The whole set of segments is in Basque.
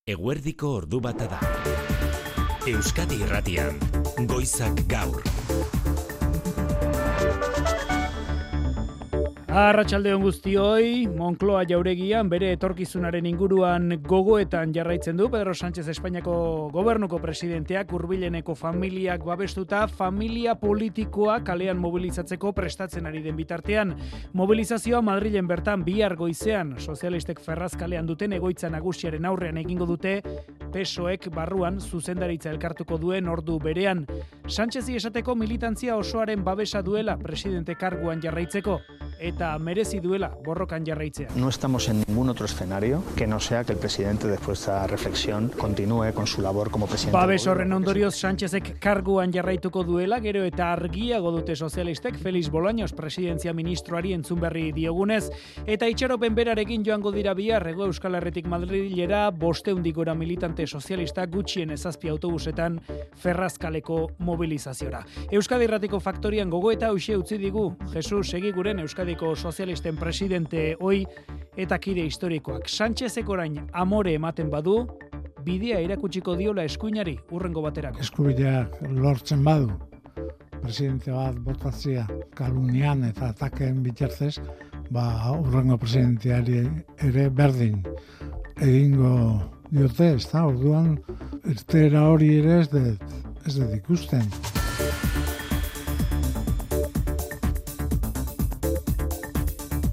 Eguerdiko ordu bata da. Euskadi Irratian, Goizak Gaur. Arratsaldeon guztioi, Moncloa jauregian bere etorkizunaren inguruan gogoetan jarraitzen du Pedro Sánchez Espainiako gobernuko presidenteak hurbileneko familiak babestuta familia politikoa kalean mobilizatzeko prestatzen ari den bitartean. Mobilizazioa Madrilen bertan bihar goizean sozialistek Ferraz kalean duten egoitza nagusiaren aurrean egingo dute, PSOEk barruan zuzendaritza elkartuko duen ordu berean. Sánchezi esateko militantzia osoaren babesa duela presidente karguan jarraitzeko eta merezi duela borrokan jarraitzea. No estamos en ningún otro escenario que no sea que el presidente después de esta reflexión continúe con su labor como presidente. Babes horren ondorioz Sánchezek karguan jarraituko duela, gero eta argiago dute sozialistek Felix Bolaños presidentzia ministroari entzun berri diogunez, eta itxaropen berarekin joango dira bihar Hego Euskal Herritik Madrilera 500 gora militante sozialistak gutxien 7 autobusetan Ferrazkaleko mobilizaziora. Euskadi Irratiko faktorian gogoeta hauxe utzi digu Jesus Egiguren Euskadiko sozialisten presidente hoi eta kide historikoak. Sánchezek orain amore ematen badu, bidea irakutsiko diola eskuinari urrengo baterako. Eskubideak lortzen badu, presidente bat botatzea kalunian eta atakeen bitartez, urrengo presidenteari ere berdin egingo diote, ezta? Orduan irteera hori ere ez dut ikusten.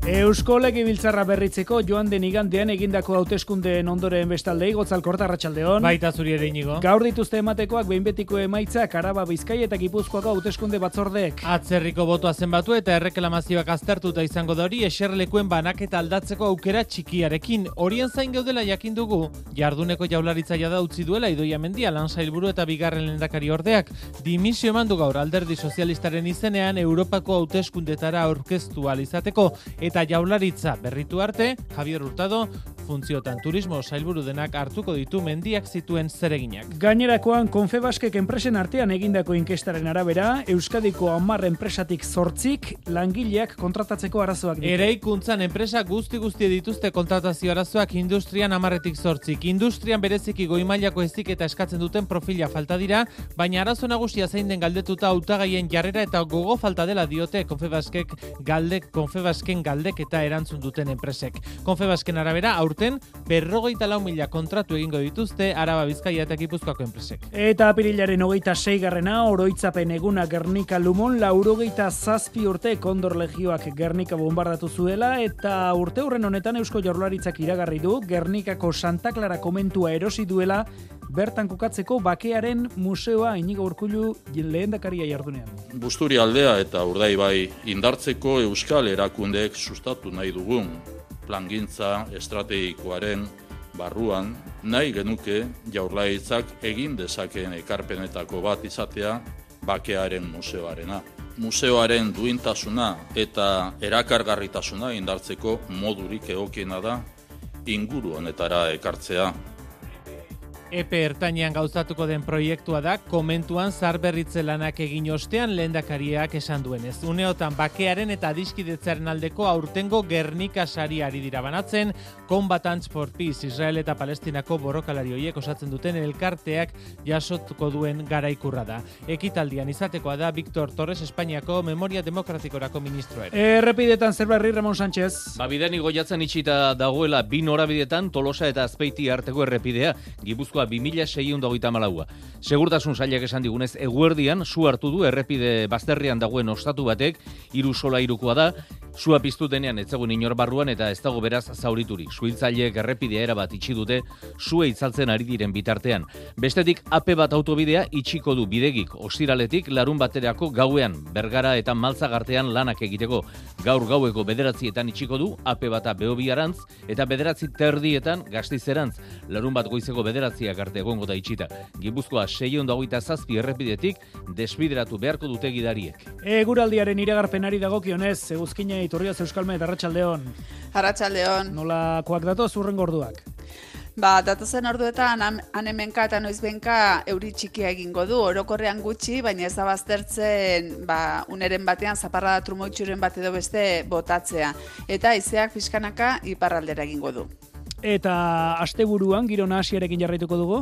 Eusko Legebiltzarra berritzeko joan den igandean egindako hauteskundeen ondoren bestalde Gotzal Korta, arratsaldeon. Baita zuri ere Inigo. Gaur dituzte ematekoak behin betiko emaitzak Araba, Bizkaia eta Gipuzkoako hauteskunde batzordeek. Atzerriko botoa zenbatu eta erreklamazioak aztertuta izango da hori eserlekuen banaketa aldatzeko aukera txikiarekin. Horien zain gaudela jakin dugu, jarduneko jaularitzaia da utzi duela Idoia Mendia lan sailburu eta bigarren lehendakari ordeak. Dimisio eman du gaur Alderdi Sozialistaren izenean Europako hauteskundetara aurkeztu ahal izateko eta jaularitza berritu arte, Javier Hurtado funtziotan turismo sailburu denak hartuko ditu Mendiak zituen zereginak. Gainerakoan Confebaskek enpresen artean egindako inkestaren arabera, Euskadiko 10 enpresatik 8 langileak kontratatzeko arazoak ditu. Eraikuntzan enpresa guzti dituzte kontratazio arazoak industrian 10etik 8. Industrian bereziki goi mailako heziketa eskatzen duten profila falta dira, baina arazo nagusia zein den galdetuta hautagaien jarrera eta gogo falta dela diote Confebasken galdeketa erantzun duten enpresek. Confebasken arabera aurten 54.000 kontratu egingo dituzte Araba, Bizkaia eta Gipuzkoako enpresek. Eta apirilaren 26. oroitzapen eguna Gernika Lumon 87 urte Kondor Legioak Gernika bombardatu zuela eta urte hurren honetan Eusko Jaurlaritzak iragarri du Gernikako Santa Clara komentua erosi duela bertan kokatzeko bakearen museoa. Inigo Urkullu lehendakaria jardunean. Busturi aldea eta Urdaibai indartzeko euskal erakundeek sustatu nahi dugun plangintza estrategikoaren barruan nahi genuke Jaurlaritzak egin dezakeen ekarpenetako bat izatea bakearen museoarena. Museoaren duintasuna eta erakargarritasuna indartzeko modurik egokiena da inguru honetara ekartzea. Epe ertainean gauzatuko den proiektua da, komentuan zaharberritze lanak egin ostean lehendakariak esan duenez. Uneotan bakearen eta adiskidetzaren aldeko aurtengo Gernika sariari dira banatzen, Combatants for Peace, Israel eta Palestinako borrokalari horiek osatzen duten elkarteak jasotuko duen garaikurra da. Ekitaldian izatekoa da Victor Torres Espainiako Memoria Demokratikorako ministroa. Errepidetan zer berri, Ramon Sánchez. Bidean igoiatzen itxita dagoela 2 norabidetan Tolosa eta Azpeiti arteko errepidea, Gipuzkoa 2624. Segurtasun sailak esan digunez, eguerdian su hartu du errepide bazterrean dagoen ostatu batek, 3 solairukoa da, sua piztu denean ez zegoen inor barruan eta ez dago beraz zauriturik. Suhiltzaileek errepidea erabat itxi dute sua itzaltzen ari diren bitartean. Bestetik AP bat autobidea itxiko du bidegik ostiraletik larun baterako gauean, Bergara eta Maltzagartean lanak egiteko. Gaur gaueko 9etan itxiko du AP bata Beobiarantz eta 9:30 Gastizerantz. Larun bat goizeko 9 arte egongo da itxita. Gipuzkoa 627 errepidetik desbideratu beharko dute gidariek. Eguraldiaren iragarpenari dagokionez, Eguzkina Iturriaz Euskalmet, arratsaldeon. Arratsaldeon. Nolakoak datoz hurrengo orduak? Datozen orduetan hemenka eta noizbenka euri txikia egingo du, orokorrean gutxi, baina ez da baztertzen uneren batean zaparrada trumoitxuren bat edo beste botatzea. Eta haizeak pixkanaka iparraldera egingo du. Eta asteburuan giro nahasiarekin jarraituko dugu?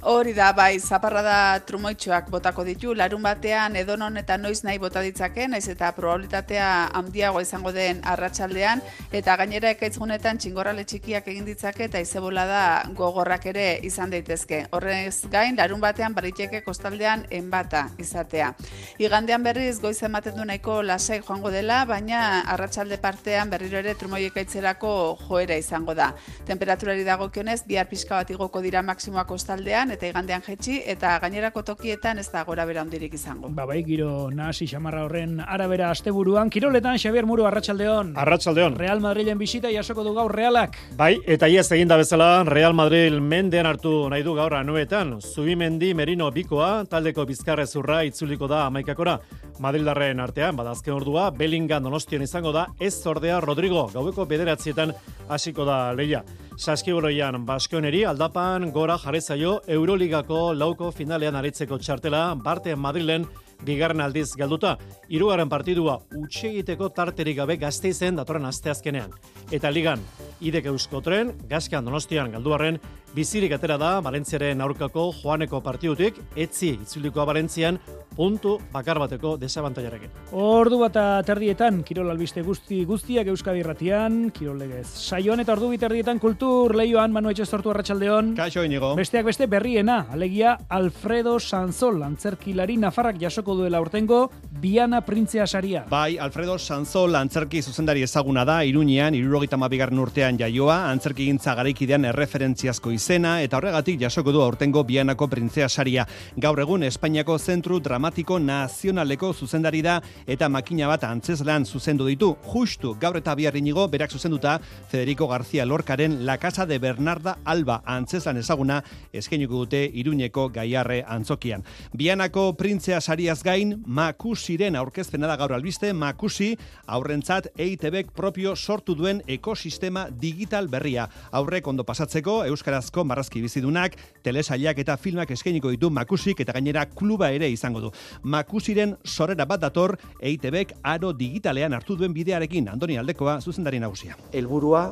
Hori da, bai, zaparrada trumoitxoak botako ditu, larun batean edonon eta noiz nahi bota ditzake, naiz eta probabilitatea handiago izango den arratsaldean, eta gainera ekaitzunetan txingorrale txikiak egin ditzake eta izebolada gogorrak ere izan daitezke. Horrez gain, larun batean bariteke kostaldean enbata izatea. Igandean berriz goiz ematen du nahiko lasai joango dela, baina arratsalde partean berriro ere trumoi ekaitzerako joera izango da. Temperaturari dagokionez, bihar pixka bat igoko dira maksimoak kostaldean, eta igandean jetxi, eta gainerako tokietan ez da gora bera handirik izango. Bai, giro nahasi xamarra horren arabera asteburuan. Kiroletan, Xabier Muru, arratsaldeon. Arratsaldeon. Real Madrilen bisita jasoko du gaur Realak. Bai, eta iaz eginda bezala, Real Madrid mendean hartu nahi du gaur anuetan. Zubimendi Merino bikoa, taldeko bizkarrezurra itzuliko da 11akora. Madrildarren artean, badazken ordua, Bellingham Donostian izango da, ez ordea Rodrigo, gaueko 9 hasiko da leia. Saskiboloian Baskoneri aldapan gora jarri zaio Euroligako lauko finalean aritzeko txartela Barte Madrilen bigarren aldiz galduta. 3. partidua utxegiteko tarterik gabe Gasteizen datorren asteazkenean. Eta ligan Idek Euskotren, Gaskan Donostian galduarren bizirik atera da Valentziaren aurkako joaneko partidutik, etzi itzulikoa Valentzian puntu bakar bateko desabantailarekin. Ordu bata terdietan, Kirol albiste guztiak Euskadi Irratian, Kirol legez. Saioan eta ordu biterdietan kultur leioan Manu Etxestortu arratsaldeon. Kaixo Inigo. Besteak beste berriena, alegia Alfredo Sanzol, antzerkilari nafarrak jasoko duela urtengo Diana Printzea saria. Bai, Alfredo Sanzol antzerki zuzendari ezaguna da, Iruñean 72. urtean jaioa, antzerkigintza garaikidean erreferentziazko izena, eta horregatik jasoko du aurtengo Bianako Printzea saria. Gaur egun Espainiako Zentru Dramatiko Nazionaleko zuzendari da, eta makina bat antzeslan zuzendu ditu. Justu gaur eta bihar Inigo berak zuzenduta Federico García Lorcaren La Casa de Bernarda Alba antzeslan ezaguna eskainiko dute Iruñeko Gaiarre antzokian. Bianako Printzea sariaz gain, Makusiren aurkezpena da gaur albiste. Makusi aurrentzat EITBek propio sortu duen ekosistema digital berria. Aurrek ondo pasatzeko euskarazko marrazki bizidunak, telesailak eta filmak eskainiko ditu Makusik, eta gainera kluba ere izango du. Makusiren sorrera bat dator EITBek aro digitalean hartu duen bidearekin. Andoni Aldekoa, zuzendari nagusia. Helburua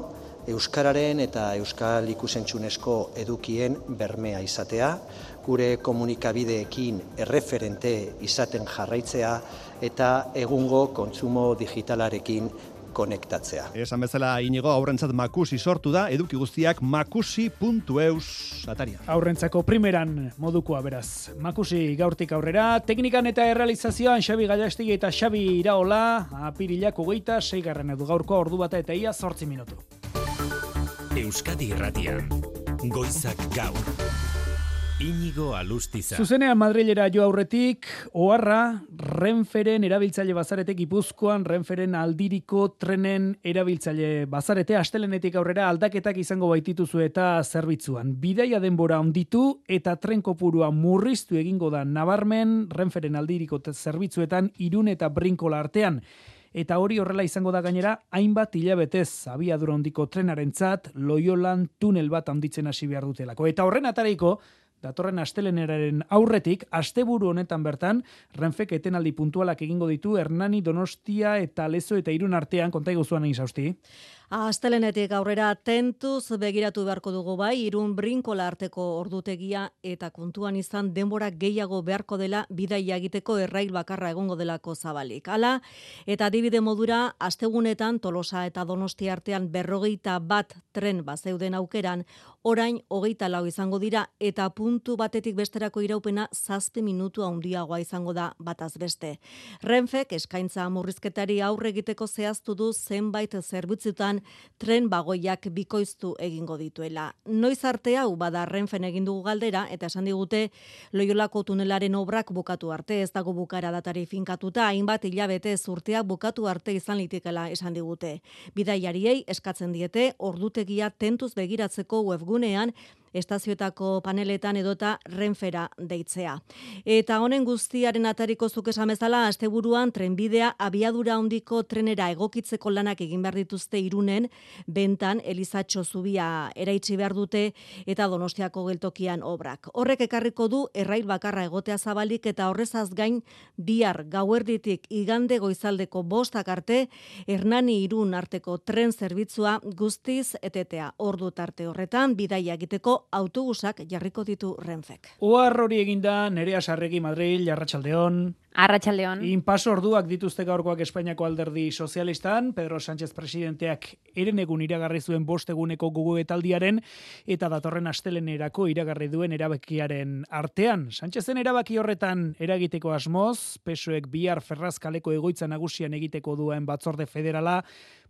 euskararen eta euskal ikusentzunezko edukien bermea izatea, gure komunikabideekin erreferente izaten jarraitzea eta egungo kontsumo digitalarekin konektatzea. Esan bezala Inigo, aurrentzat Makusi sortu da, eduki guztiak makusi.eus ataria. Aurrentzako primeran modukoa beraz. Makusi gaurtik aurrera, teknikan eta errealizazioan Xabi Gallastegui eta Xabi Iraola, apirilak 26. edu gaurko ordu bata eta ia 8 minutu. Euskadi Irratian, goizak gaur. Inigo Alustiza. Zuzenean Madrilera jo aurretik, oharra Renferen erabiltzaile bazaretek Gipuzkoan Renferen aldiriko trenen erabiltzaile bazarete astelenetik aurrera aldaketak izango baitituzu eta zerbitzuan. Bidaia denbora onditu eta tren kopurua murriztu egingo da nabarmen Renferen aldiriko zerbitzuetan Irun eta Brinkola artean. Eta hori horrela izango da gainera hainbat hilabetez abiadura handiko trenarentzat Loiolan tunel bat handitzen hasi behar dutelako. Eta horren atariko datorren asteleneraren aurretik, asteburu honetan bertan, Renfek etenaldi puntualak egingo ditu Hernani, Donostia eta Lezo eta Irun artean, konta iguzuan egin zausti. Astelenetik aurrera tentuz begiratu beharko dugu bai, Irun Brinkola arteko ordutegia eta kontuan izan denbora gehiago beharko dela bidaia egiteko errail bakarra egongo delako zabalik. Hala, eta adibide modura, astegunetan Tolosa eta Donostia artean 51 tren bazeuden aukeran, orain 24 izango dira eta puntu batetik besterako iraupena 7 minutu handiagoa izango da bataz beste. Renfek eskaintza murrizketari aurre egiteko zehaztu du zenbait zerbitzutan tren bagoiak bikoiztu egingo dituela. Noiz arte hau bada Renfen egin dugu galdera eta esan digute Loiolako tunelaren obrak bukatu arte, ez dago bukara datari finkatuta, hainbat hilabete urteak bukatu arte izan litekela esan digute. Bidaiariei eskatzen diete ordutegia tentuz begiratzeko webgunean estazioetako paneletan edota Renfera deitzea. Eta honen guztiaren atariko zuk esan bezala, asteburuan trenbidea abiadura handiko trenera egokitzeko lanak egin behar dituzte Irunen, Bentan Elizatxo zubia eraitsi behar dute eta Donostiako geltokian obrak. Horrek ekarriko du errail bakarra egotea zabalik eta horrezaz gain bihar gauerditik igande goizaldeko 5 arte Hernani Irun arteko tren zerbitzua guztiz etetea. Ordu tarte horretan bidaia egiteko autobusak jarriko ditu Renfek. Ohar hori eginda Nerea Sarregi Madril, Arratsaldeon. Arratsaldeon. Inpaso orduak dituzte gaurkoak Espainiako Alderdi Sozialistan, Pedro Sánchez presidenteak herenegun iragarri zuen 5 eguneko gogoetaldiaren eta datorren astelenerako iragarri duen erabakiaren artean. Sánchezen erabaki horretan eragiteko asmoz, PSOEk bihar Ferrazkaleko egoitza nagusian egiteko duen batzorde federala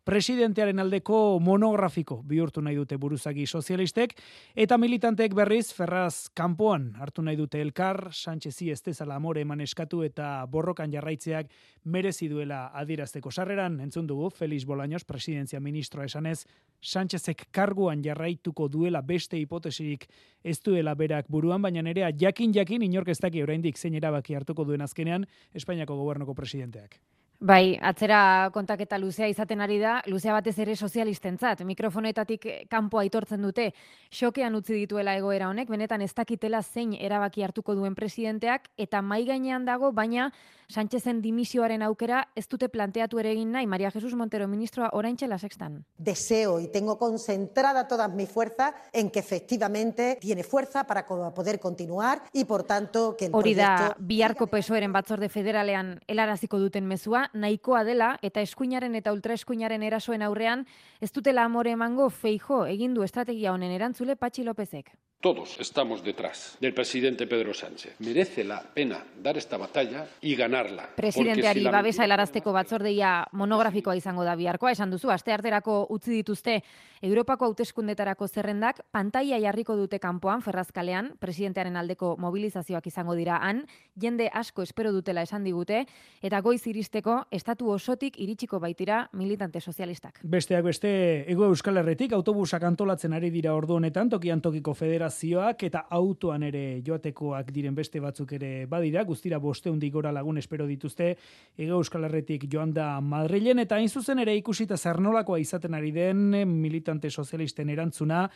presidentearen aldeko monografiko bihurtu nahi dute buruzagi sozialistek, eta militanteek berriz Ferraz kanpoan hartu nahi dute elkar, Sánchezi ez dezala amore eman eskatu eta borrokan jarraitzeak merezi duela adierazteko. Sarreran entzun dugu Felix Bolaños, presidentzia ministroa esanez, Sánchezek karguan jarraituko duela beste hipotesirik ez duela berak buruan, baina nerea jakin inork ez daki oraindik zein erabaki hartuko duen azkenean Espainiako gobernuko presidenteak. Bai, atzera kontaketa luzea izaten ari da, luzea batez ere sozialistentzat. Mikrofonetatik kanpo aitortzen dute, xokean utzi dituela egoera honek, benetan ez dakitela zein erabaki hartuko duen presidenteak, eta mai gainean dago, baina Sánchezen dimisioaren aukera ez dute planteatu ere egin nahi. María Jesús Montero, ministroa, oraintxe La Sextan. Deseo y tengo concentrada todas mis fuerzas en que efectivamente tiene fuerza para poder continuar y por tanto que el Hori da, proyecto... biharko PSOEren batzorde federalean helaraziko duten mezua, nahikoa dela eta eskuinaren eta ultraeskuinaren erasoen aurrean ez dutela amore emango Feijóo egin du estrategia honen erantzule Patxi Lópezek. Todos estamos detrás del presidente Pedro Sánchez. Merece la pena dar esta batalla y ganarla. Presidenteari babesa helarazteko batzordeia monografikoa izango da biharkoa, esan duzu, astearterako utzi dituzte Europako hauteskundetarako zerrendak, pantaila jarriko dute kanpoan Ferrazkalean, presidentearen aldeko mobilizazioak izango dira han, jende asko espero dutela esan digute, eta goiz iristeko estatu osotik iritsiko baitira militante sozialistak. Besteak beste, Hego Euskal Herritik autobusak antolatzen ari dira ordu honetan, tokian tokiko federazioak eta autoan ere joatekoak diren beste batzuk ere badira, guztira 500 gora lagun espero dituzte Hego Euskal Herritik joan da Madrilen, eta hain zuzen ere ikusita zer nolakoa izaten ari den militante sozialisten erantzuna,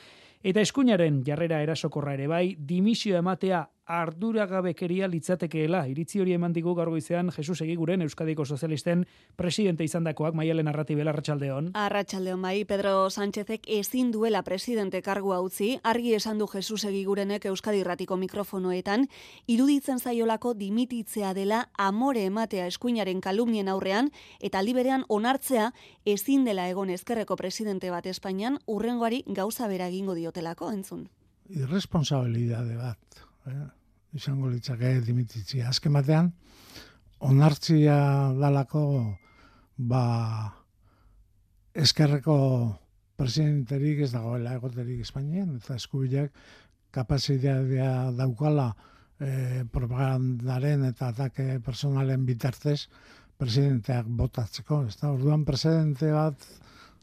eta eskuinaren jarrera erasokorra ere bai, dimisio ematea arduragabekeria litzatekeela. Iritzi hori eman digu gaur goizean Jesus Egiguren Euskadiko Sozialisten presidente izandakoak. Maialen Arratibel, Arratsaldeon. Arratsaldeon bai, Pedro Sánchezek ezin duela presidente kargua utzi, argi esan du Jesus Egigurenek Euskadi Irratiko mikrofonoetan, iruditzen zaiolako dimititzea dela amore ematea eskuinaren kalumnien aurrean, eta aldi berean onartzea ezin dela egon ezkerreko presidente bat Espainian urrengoari gauza bera egingo diotelako, entzun. Irresponsabilidade bat. Izango litzake dimititzia. Azken batean, onartzia dalako eskerreko presidenterik ez dagoela egoterik Espainian, eta eskubileak kapazitatea daukala propagandaren eta atake personalen bitartez presidenteak botatzeko. Orduan presidente bat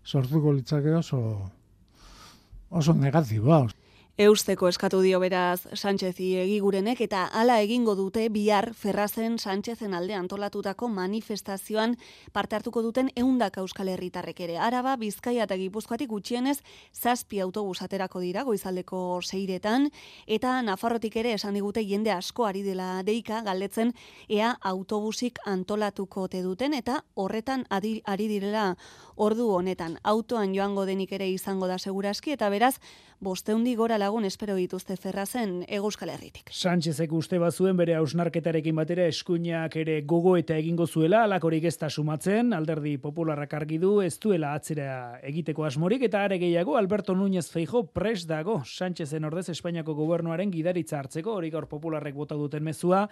sortuko litzake oso negatiboa. Eusteko eskatu dio beraz Sánchezi Egigurenek, eta hala egingo dute bihar Ferrazen Sánchezen alde antolatutako manifestazioan parte hartuko duten 100 euskal herritarrek ere. Araba, Bizkaia eta Gipuzkoatik gutxienez 7 autobus aterako dira goizaldeko 6etan, eta Nafarrotik ere esan digute jende asko ari dela deika galdetzen ea autobusik antolatuko te duten, eta horretan ari direla ordu honetan. Autoan joango denik ere izango da seguraski, eta beraz 500 gora lagun espero dituzte Ferrazen Hego Euskal Herritik. Sánchezek uste bazuen bere hausnarketarekin batera eskuinak ere gogo eta egingo zuela, alakorik ez da sumatzen, Alderdi Popularrak argi du ez duela atzera egiteko asmorik, eta are gehiago Alberto Núñez Feijóo prest dago Sánchezen ordez Espainiako gobernuaren gidaritza hartzeko, hori gaur Popularrek bota duten mezua,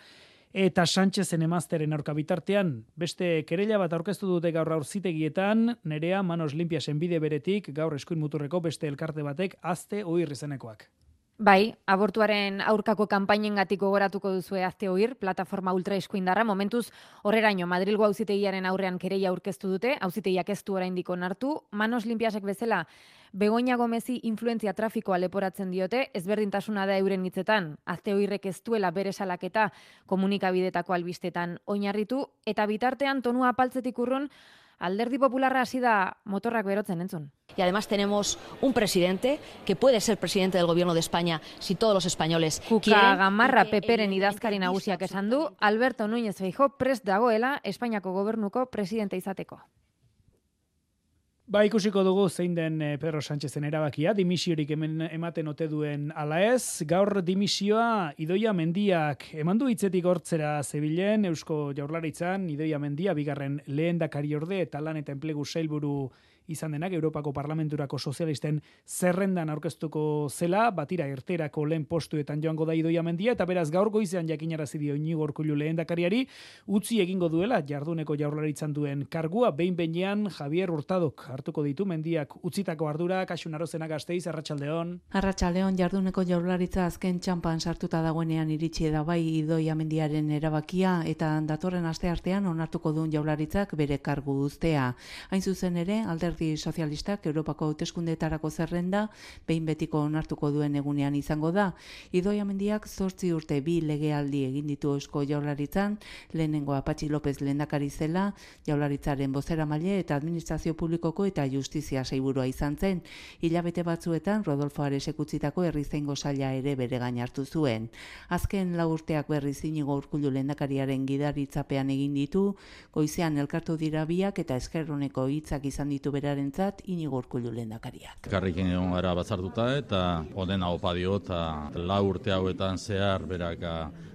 eta Sánchezen emazteren aurka bitartean beste kerela bat aurkeztu dute gaur aurzitegietan, Nerea Manos Limpiasen bide beretik gaur eskuin muturreko beste elkarte batek azte oir izenekoak. Bai, abortuaren aurkako kanpainengatik gogoratuko duzue azte oir, plataforma ultraeskuindarra, momentuz horreraino Madrilgo auzitegiaren aurrean kereia aurkeztu dute, auzitegiak ez du oraindik onartu, Manos Limpiasek bezala Begoña Gomezi influentzia trafikoa leporatzen diote, ezberdintasuna da euren hitzetan, azte oirrek ez duela bere salaketa komunikabidetako albistetan oinarritu, eta bitartean tonua apaltzetik urrun, Alderdi Popularra hasi da motorrak berotzen entzun. Y además tenemos un presidente que puede ser presidente del gobierno de España si todos los españoles quieren. Gamarra Peperen idazkari nagusiak esan du, Alberto Núñez Feijóo prest dagoela Espainiako gobernuko presidente izateko. Ba, ikusiko dugu zein den Pedro Sánchezen erabakia, dimisiorik ematen ote duen ala ez. Gaur dimisioa Idoia Mendiak emandu hitzetik hortzera zebilen, Eusko Jaurlaritzan Idoia Mendia bigarren lehendakariorde eta lan eta enplegu sailburu izan denak Europako Parlamenturako sozialisten zerrendan aurkeztuko zela, batira erterako lehen postuetan joango da Idoia Mendia, eta beraz gaur goizean jakinarazi dio Iñigo Urkullu lehendakariari, utzi egingo duela jarduneko Jaurlaritzan duen kargua, behin-behinean Javier Hurtadok hartuko ditu Mendiak utzitako ardura. Kaixun Arozena Gasteiz, arratsaldeon. Arratsaldeon, jarduneko Jaurlaritza azken txanpan sartuta dagoenean iritsi da bai Idoia Mendiaren erabakia, eta datorren asteartean onartuko duen Jaurlaritzak bere kargu uztea. Hain zuzen ere, Alderdi Sozialistak Europako hauteskundeetarako zerrenda behin betiko onartuko duen egunean izango da. Idoia Mendiak 8 urte 2 legealdi egin ditu Eusko Jaurlaritzan, lehenengoa Patxi López lehendakari zela, Jaurlaritzaren bozeramaile eta administrazio publikoko eta justizia sailburua izan zen. Hilabete batzuetan Rodolfo Aresek utzitako herrizaingo saila ere bere gain hartu zuen. Azken 4 urteak berriz Iñigo Urkullu lehendakariaren gidaritzapean egin ditu, goizean elkartu dira biak eta eskerroneko hitzak izan ditu berarentzat Iñigo Urkullu lehendakariak. Karrikin egon gara batzartuta eta onena opa dio eta 4 urte hauetan zehar berak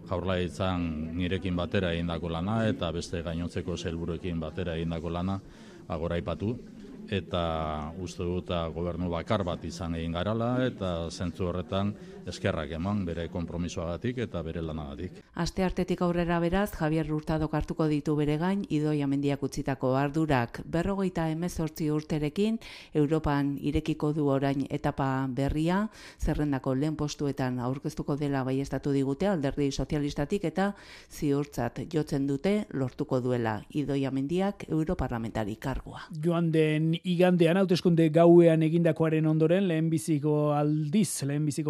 Jaurlaritzan nirekin batera egindako lana eta beste gainontzeko sailburuekin batera egindako lana goraipatu. Eta uste dut gobernu bakar bat izan egin garala eta zentzu horretan eskerrak eman bere konpromisoagatik eta bere lanagatik. Asteartetik aurrera beraz, Javier Hurtadok hartuko ditu bere gain Idoia Mendiak utzitako ardurak. 58 urterekin Europan irekiko du orain etapa berria, zerrendako lehen postuetan aurkeztuko dela baiestatu digute Alderdi Sozialistatik eta ziurtzat jotzen dute lortuko duela Idoia Mendiak europarlamentari kargua. Joan den igandean hauteskunde gauean egindakoaren ondoren lehenbiziko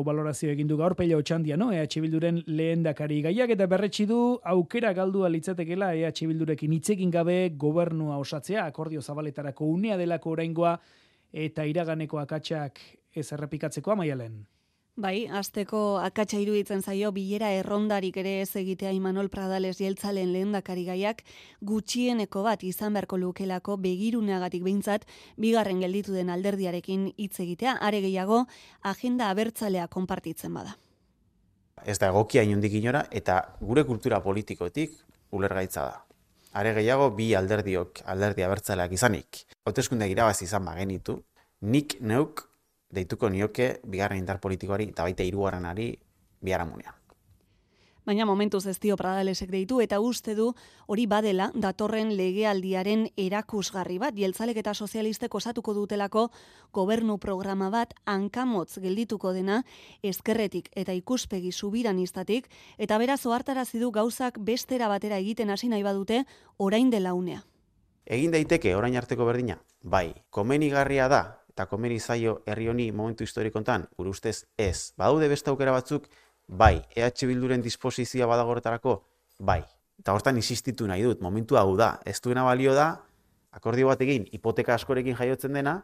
balorazio egin du gaur Pello Otxandia, no? EH Bilduren lehendakari gaiak eta berretsi du aukera galdua litzatekeela EH Bildurekin hitzekin gabe gobernua osatzea, akordio zabaletarako unea delako oraingoa eta iraganeko akatsak ez errepikatzeko Maialen. Bai, asteko akatsa iruditzen zaio bilera errondarik ere ez egitea Imanol Pradales jeltzalen lehendakari gaiak gutxieneko bat izan beharko lukelako begiruneagatik behintzat bigarren gelditu den alderdiarekin hitz egitea, are gehiago agenda abertzalea konpartitzen bada. Ez da egokia inondik inora eta gure kultura politikotik ulergaitza da. Are gehiago bi alderdi abertzaleak izanik. Hauteskundeak irabazi izan bagenitu, nik neuk deituko nioke bigarren indar politikoari eta baita hirugarrenari biharamunean. Baina momentuz ez dio Pradalesek deitu eta uste du hori badela datorren legealdiaren erakusgarri bat. Jeltzalek eta sozialistek osatuko dutelako gobernu programa bat hankamotz geldituko dena ezkerretik eta ikuspegi subiranistatik eta beraz ohartarazi du gauzak bestera batera egiten hasi nahi badute orain dela unea. Egin daiteke orain arteko berdina? Bai, komenigarria da eta komeni zaio herri honi momentu historikontan, gure ustez ez. Badaude beste aukera batzuk, bai. EH Bilduren disposizioa badago horretarako, bai. Eta hortan insistitu nahi dut, momentu hau da. Ez duena balio da, akordio bat egin, hipoteka askorekin jaiotzen dena,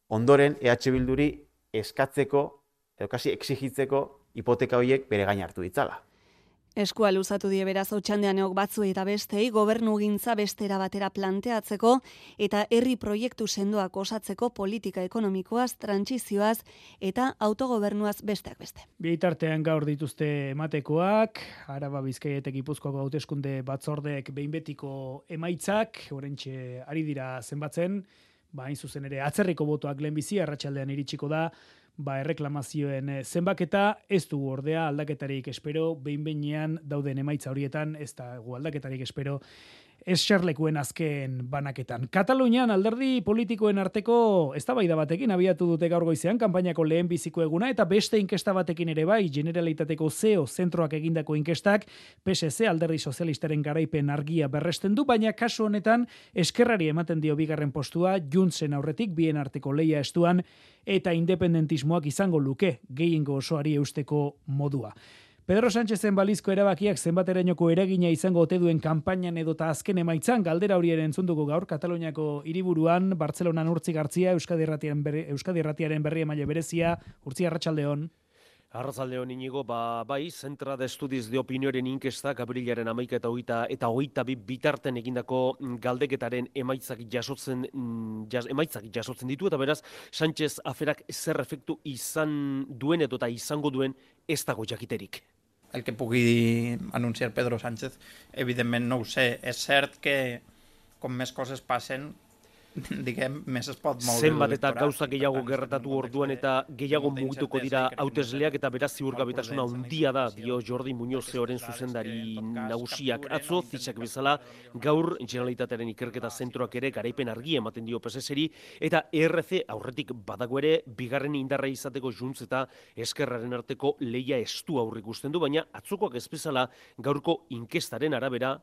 ondoren EH Bilduri eskatzeko, edo kasi exigitzeko hipoteka horiek bere gain hartu ditzala. Eskua luzatu die beraz Otxandeaneok batzuei eta bestei gobernugintza bestera batera planteatzeko eta herri proiektu sendoak osatzeko politika ekonomikoaz, trantsizioaz eta autogobernuaz besteak beste. Bitartean gaur dituzte ematekoak, Araba Bizkaia eta Gipuzkoako hauteskunde batzordeek behin betiko emaitzak, oraintxe ari dira zenbatzen, hain zuzen ere atzerriko botoak lehenbizi arratsaldean iritsiko da. Erreklamazioen zenbaketa ez dugu ordea aldaketarik espero, behin-behinean dauden emaitza horietan ez da aldaketarik espero eserlekuen azken banaketan. Katalunian alderdi politikoen arteko eztabaida batekin abiatu dute gaur goizean kanpainako lehen biziko eguna eta beste inkesta batekin ere bai, Generalitateko CEO zentroak egindako inkestak PSC alderdi sozialistaren garaipen argia berresten du, baina kasu honetan eskerrari ematen dio bigarren postua Juntsen aurretik bien arteko leia estuan eta independentismoak izango luke gehiengo osoari eusteko modua. Pedro Sánchezen balizko erabakiak zenbaterainoko eragina izango ote duen kanpainan edota azken emaitzan galdera hori ere entzunduko gaur Kataluniako hiriburuan Bartzelonan Urtzi Gartzia Euskadi Irratiaren berri emaile berezia. Urtzi, arratsaldeon. Arratsaldeon Inigo, bai, Centra de Estudios de Opinioren inkestak abrilaren 11 eta 22 bitarten egindako galdeketaren emaitzak jasotzen ditu, eta beraz, Sánchez aferak zer efektu izan duen eta izango duen ez dago jakiterik. El que pugui anunciar Pedro Sánchez, evidentment no ho sé. És cert que com més coses passen, diguem, més es pot moure. Zenbat eta gauza gehiago gertatu orduan eta gehiago mugituko dira hautesleak eta beraz ziurgabetasuna handia da, dio Jordi Muñoz-Zeoren zuzendari nagusiak. Atzo, zitzak bezala, gaur Generalitatearen ikerketa zentroak ere garaipen argi ematen dio PSSri eta ERC aurretik badago ere bigarren indarra izateko Junts eta Eskerraren arteko leia estu aurrikusten du, baina atzokoak ez bezala gaurko inkestaren arabera,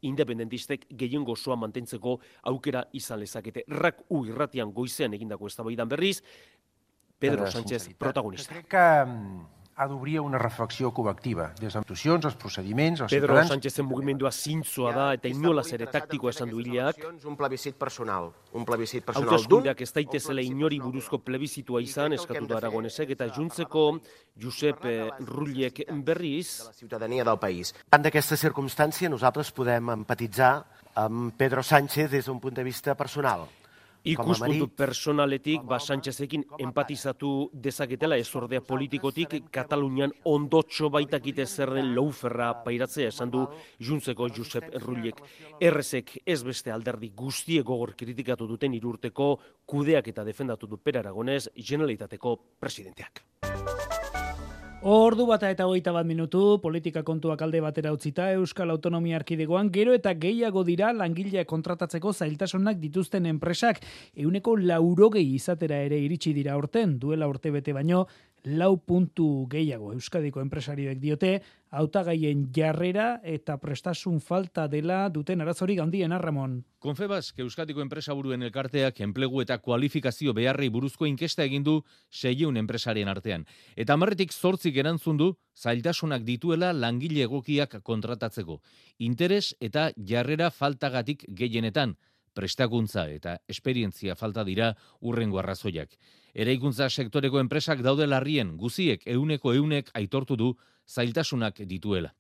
independentistek gehiengo osoa mantentzeko aukera izan lezakete. RAC-U irratian goizean egindako eztabaidan berriz, Pedro Sánchez protagonista. Crec que ha d'obrir una reflexió col·lectiva des de institucions, els procediments, els Pedro ciutadans. Sánchezen mugimendua zintzoa da eta inolaz ere taktikoa esan du hileak. Un plebiscit personal d'un. Hauteskundeak ez daitezela inori buruzko plebizitua izan, eskatu da Aragonesek, eta Juntseko Josep Rullek berriz. La ciutadania del país. En d'aquesta circumstància nosaltres podem empatitzar amb Pedro Sánchez des d'un punt de vista personal. Ikuspuntu personaletik, Sánchezekin empatizatu dezaketela ez ordea politikotik, Katalunian ondotxo baitakite zer den louferra pairatzea esan du Juntseko Josep Rullek. Errezek ez beste alderdi guztie gogor kritikatu duten 3 urteko kudeak eta defendatu du Per Aragonés, Generalitateko presidenteak. Ordu bata eta 21 minutu, politika kontuak alde batera utzita Euskal Autonomia Erkidegoan gero eta gehiago dira langileak kontratatzeko zailtasunak dituzten enpresak. 180 izatera ere iritsi dira aurten, duela urtebete baino 4 puntu gehiago. Euskadiko enpresarioek diote, hautagaien jarrera eta prestasun falta dela duten arazorik handien, Ramon. Confebask Euskadiko enpresaburuen elkarteak enplegu eta kualifikazio beharrei buruzko inkesta egin du 600 enpresarien artean. Eta 10-8 erantzun du zailtasunak dituela langile egokiak kontratatzeko. Interes eta jarrera faltagatik gehienetan, prestakuntza eta esperientzia falta dira urrengo arrazoiak. Eraikuntza sektoreko enpresak daude larrien, guziek 100% aitortu du zailtasunak dituela.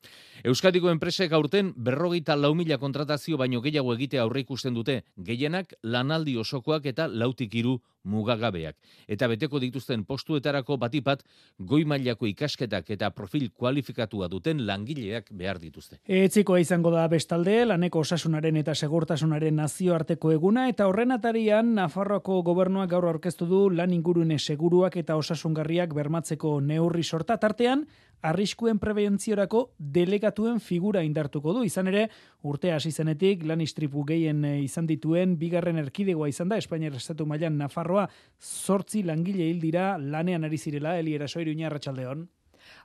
Euskadiko enpresek aurten 44.000 kontratazio baino gehiago egitea aurreikusten dute, gehienak lanaldi osokoak eta 4-3 mugagabeak. Eta beteko dituzten postuetarako batipat goi mailako ikasketak eta profil kualifikatua duten langileak behar dituzte. Etzikoa izango da bestalde, laneko osasunaren eta segurtasunaren nazioarteko eguna, eta horren atarian Nafarroako gobernuak gaur aurkeztu du lan ingurune seguruak eta osasungarriak bermatzeko neurri sorta, tartean arriskuen prebentziorako delegatuen figura indartuko du. Izan ere, urtea hasi zenetik lan istripu gehien izan dituen bigarren erkidegoa izan da, Espainiar estatu mailan Nafarroa 8 langile hil dira lanean ari zirela. Eli Eraso, Iruña, arratsaldeon.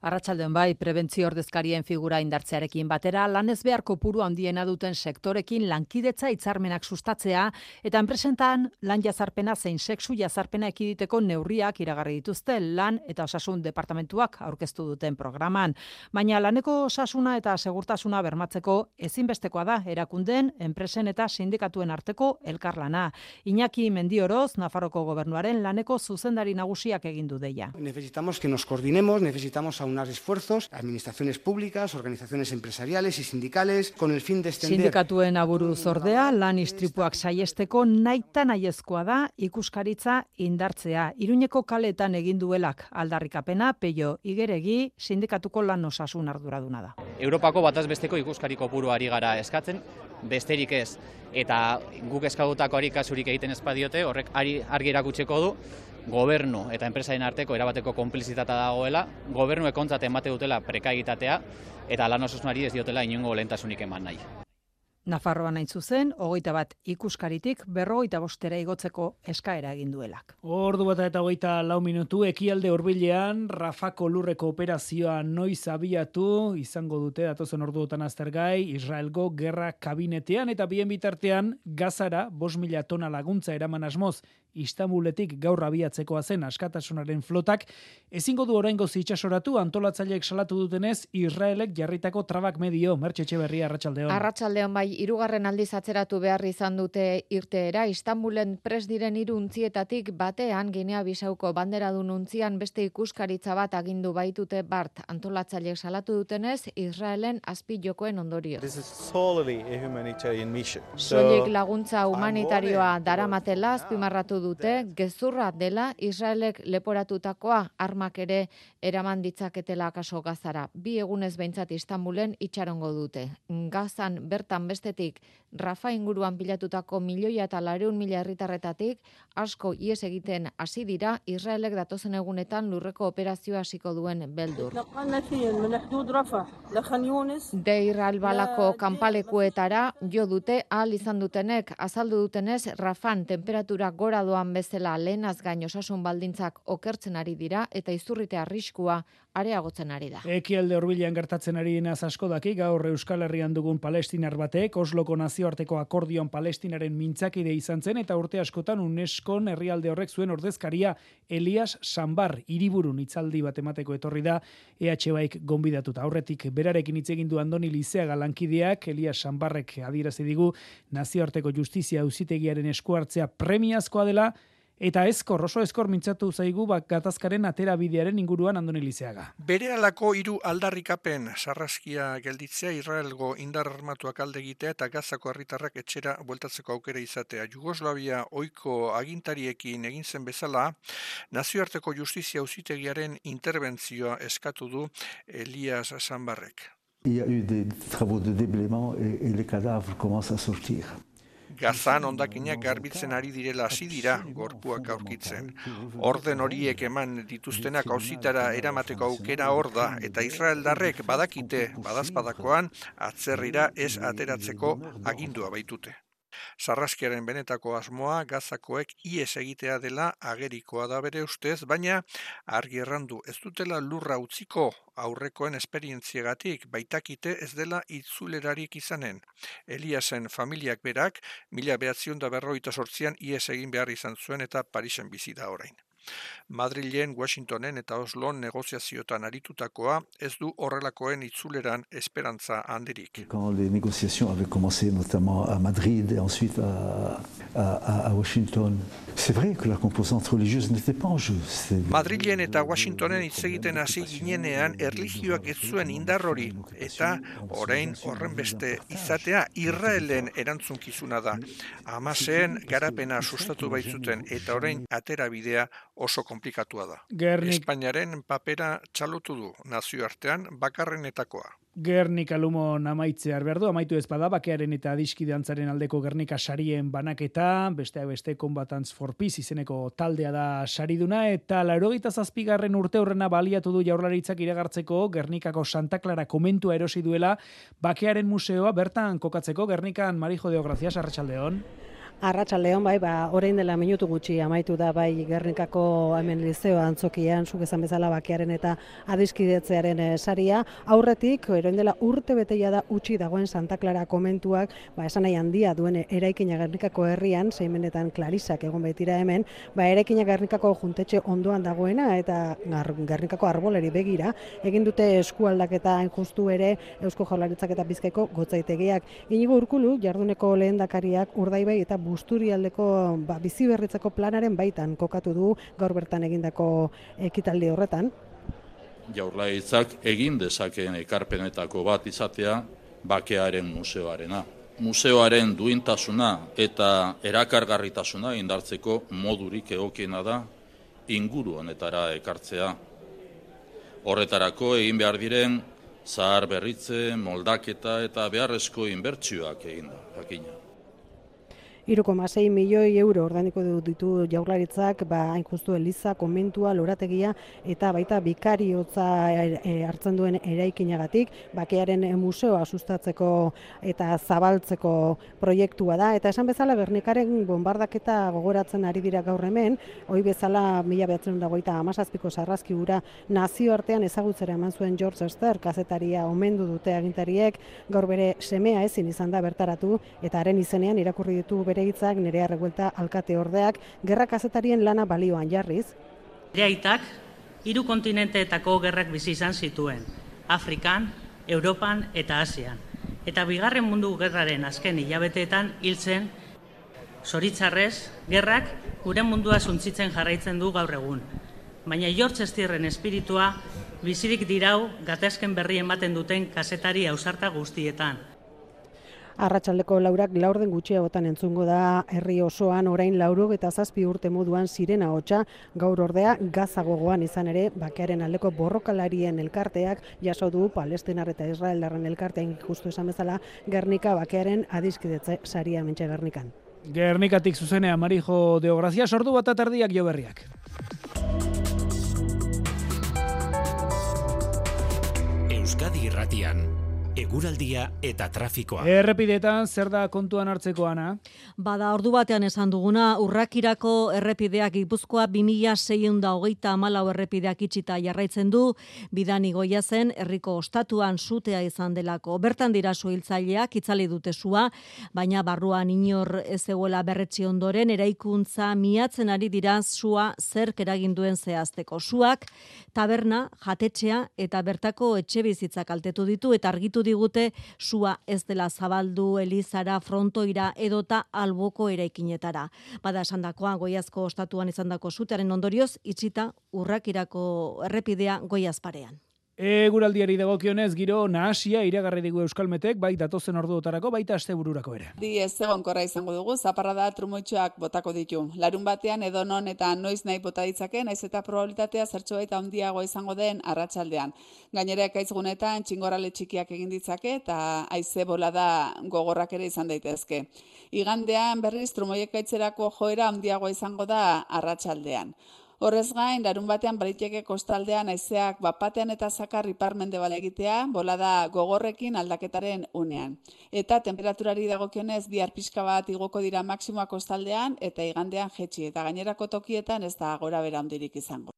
Arratsaldeon bai, prebentzio ordezkarien figura indartzearekin batera, lanez behar kopuru handiena duten sektorekin lankidetza hitzarmenak sustatzea eta enpresentan lan jazarpena zein sexu jazarpena ekiditeko neurriak iragarri dituzte lan eta osasun departamentuak aurkeztu duten programan. Baina laneko osasuna eta segurtasuna bermatzeko ezinbestekoa da erakundeen, enpresen eta sindikatuen arteko elkarlana. Iñaki Mendioroz, Nafarroko gobernuaren laneko zuzendari nagusiak egin du deia. Necesitamos que nos coordinemos, necesitamos aunar esfuerzos, administraciones públicas, organizaciones empresariales y sindicales, con el fin de extender... Sindikatuen aburuz ordea, lan istripuak saiesteko naita nahiezkoa da ikuskaritza indartzea. Iruñeko kaletan egin duelak aldarrikapena, Peio Igeregi, sindikatuko lan osasun arduraduna da. Europako bataz besteko ikuskari kopuru ari gara eskatzen, besterik ez. Eta guk eskagutakoari kasurik egiten ez badiote, horrek argi erakutsiko du, gobernu eta enpresaren arteko erabateko konplizitatea dagoela, gobernuek ontzat emate dutela prekaegitatea eta lan osasunari ez diotela inongo lehentasunik eman nahi. Nafarroan hain zuzen, 21 ikuskaritik 45 igotzeko eskaera egin duelak. Ordu bat eta 24 minutu, Ekialde Hurbilean Rafako lurreko operazioa noiz abiatu izango dute datozen orduotan aztergai Israelgo gerra kabinetean eta bien bitartean Gazara 5.000 tona laguntza eraman asmoz Istanbuletik gaur abiatzekoa zen askatasunaren flotak ezingo du oraingoz itsasoratu antolatzaileek salatu dutenez Israelek jarritako trabak medio. Mertxe Etxeberria, arratsaldeon. Arratsaldeon bai, 3. aldiz atzeratu behar izan dute irteera. Istanbulen pres diren 3 untzietatik batean Ginea Bisauko banderadun untzian beste ikuskaritza bat agindu baitute bart. Antolatzaileek salatu dutenez Israelen azpijokoen ondorio. Soilik laguntza humanitarioa daramatela azpimarratu dute, gezurra dela Israelek leporatutakoa armak ere eraman ditzaketela akaso Gazara. 2 egunez behintzat Istanbulen itxarongo dute. Gazan bertan bestetik Rafa inguruan pilatutako 1.400.000 herritarretatik asko ihes egiten hasi dira Israelek datozen egunetan lurreko operazioa hasiko duen beldur. Deir al-Balako kanpalekuetara jo dute ahal izan dutenek azaldu dutenez Rafan temperatura gora doan bezala lehenaz gain osasun baldintzak okertzen ari dira eta izurrite arriskua areagotzen ari da. Ekialde Hurbilean gertatzen ari denaz asko daki gaur Euskal Herrian dugun palestinar batek Osloko nazioarteko akordioan Palestinaren mintzakide izan zen eta urte askotan UNESCOn herrialde horrek zuen ordezkaria Elias Sambar hiriburun hitzaldi bat emateko etorri da EH-baik gonbidatuta. Aurretik berarekin hitz egin du Andoni Lizeaga lankideak Elias Sambarrek adierazi digu nazioarteko justizia auzitegiaren esku hartzea premiazkoa dela eta oso ezkor mintzatu zaigu gatazkaren aterabidearen inguruan Andoni Lizeaga. Berehalako 3 aldarrikapen sarraskia gelditzea, Israelgo indar armatuak alde egitea eta Gazako herritarrak etxera bueltatzeko aukera izatea. Jugoslavia ohiko agintariekin egin zen bezala, nazioarteko justizia auzitegiaren interbentzioa eskatu du Elias Sambarrek. Il y a eu des travaux de déblaiement et les cadavres commencent à sortir. Gazan hondakinak garbitzen ari direla hasi dira gorpuak aurkitzen. Orden horiek eman dituztenak auzitara eramateko aukera hor da eta israeldarrek badakite badazpadakoan atzerrira ez ateratzeko agindua baitute. Sarraskiaren benetako asmoa Gazakoek ihes egitea dela agerikoa da bere ustez, baina argi errandu ez dutela lurra utziko aurrekoen esperientziagatik baitakite ez dela itzulerarik izanen. Eliasen familiak berak 1948an ihes egin behar izan zuen eta Parisen bizi da orain. Madrilen, Washingtonen eta Oslon negoziaziotan aritutakoa ez du horrelakoen itzuleran esperantza handirik. Quand les négociations avaient commencé notamment à Madrid et ensuite à Washington, c'est vrai que la composante religieuse n'était pas en jeu. Madrilen eta Washingtonen hitz egiten hasi ginenean erlijioak ez zuen indar hori eta orain horren beste izatea Israelen erantzunkizuna da. Hamaseen garapena sustatu baitzuten eta orain aterabidea oso komplikatua da. Espainiaren papera txalotu du nazioartean bakarrenetakoa. Gernika Lumon amaitzear behar du, amaitu ez bada, bakearen eta adiskidantzaren aldeko Gernika sarien banaketa, beste Combatants for Peace izeneko taldea da sariduna, eta 87. urte horrena baliatu du Jaurlaritzak iragartzeko Gernikako Santa Clara komentua erosi duela, bakearen museoa bertan kokatzeko. Gernikan, Marijo de Ogracias, arratsaldeon. Arratsaldeon bai, orain dela minutu gutxi amaitu da bai Gernikako hemen Lizeo antzokian, zuk esan bezala bakearen eta adiskidetzearen saria. Aurretik, orain dela urte beteia da utzi dagoen Santa Clara komentuak, esan nahi handia duen eraikina Gernikako herrian, zeimenetan Klarisak egon baitira hemen, eraikina Gernikako juntetxe ondoan dagoena eta Gernikako arboleri begira, egin dute eskualdaketa hain justu ere Eusko Jaurlaritzak eta Bizkaiko gotzaitegiak. Inigo Urkulu, jarduneko lehendakariak Urdaibai eta Busturialdeko biziberritzeko planaren baitan kokatu du gaur bertan egindako ekitaldi horretan. Jaurlaritzak egin dezakeen ekarpenetako bat izatea bakearen museoarena. Museoaren duintasuna eta erakargarritasuna indartzeko modurik egokiena da inguru honetara ekartzea. Horretarako egin behar diren zahar berritze, moldaketa eta beharrezko inbertsioak egin da, jakina. 3,6 milioi euro ordainiko ditu Jaurlaritzak, hain justu eliza, konbentua, lorategia eta baita bikariotza hartzen duen eraikinagatik, bakearen museoa sustatzeko eta zabaltzeko proiektua da, eta esan bezala Gernikaren bombardaketa gogoratzen ari dira gaur hemen, hoi bezala 1927ko sarrazki hura nazioartean ezagutzera eman zuen George Ester, kazetaria omendu dute agintariek, gaur bere semea ezin izan da bertaratu, eta haren izenean irakurri ditu bere hitzak Nerea Revuelta alkate ordeak, gerra kazetarien lana balioan jarriz. Bere aitak, 3 kontinenteetako gerrak bizi izan zituen, Afrikan, Europan eta Asian. Eta Bigarren Mundu Gerraren azken hilabeteetan hil zen, zoritzarrez, gerrak gure mundua suntsitzen jarraitzen du gaur egun. Baina George Estirren espiritua bizirik dirau gatazken berri ematen duten kazetari ausarta guztietan. Arratsaldeko 4 laurden gutxiagotan entzungo da herri osoan orain 97 urte moduan sirena hotsa, gaur ordea Gaza gogoan izan ere bakearen aldeko borrokalarien elkarteak jaso du Palestinar eta Israeldarren elkartean justu esan bezala Gernika bakearen adiskidetze saria hementxe Gernikan. Gernikatik zuzenea Marijo de Ograzia, sordu bat atardiak jo berriak. Euskadi Irratian, eguraldia eta trafikoa. Errepideetan zer da kontuan hartzeko, Ana? Bada, ordu batean esan duguna, Urrakirako errepideak Gipuzkoa 2624 errepideak itxita jarraitzen du, bidan igoia zen herriko ostatuan sutea izan delako. Bertan dira suhiltzaileak itzali dute sua, baina barruan inor ez zegoela berretsi ondoren eraikuntza miatzen ari dira sua zerk eraginduen zehazteko. Suak taberna, jatetxea eta bertako etxebizitzak kaltetu ditu eta argitu digute sua ez dela zabaldu elizara, frontoira edota alboko eraikinetara. Bada esandakoa Goiazko ostatuan izandako sutearen ondorioz itxita Urrakirako errepidea Goiazparean. Eguraldiari dagokionez giro nahasia iragarri digu Euskalmetek, bai datozen orduotarako, baita astebururako ere. Ez egonkorra izango dugu, zaparrada trumoitxoak botako ditu. Larun batean edonon eta noiz nahi bota ditzake, naiz eta probabilitatea zertxobait handiago izango den arratsaldean. Gainera ekaitz-gunetan txingorale txikiak egin ditzake eta haize bolada gogorrak ere izan daitezke. Igandean berriz trumoiekaitzerako joera handiagoa izango da arratsaldean. Horrez gain, larun batean bariteke kostaldean haizeak bapatean eta zakar ipar-mendebal egitea, bolada gogorrekin aldaketaren unean. Eta temperaturari dagokionez bihar pixka bat igoko dira maksimoa kostaldean eta igandean jetxi, eta gainerako tokietan ez da gora bera handirik izango.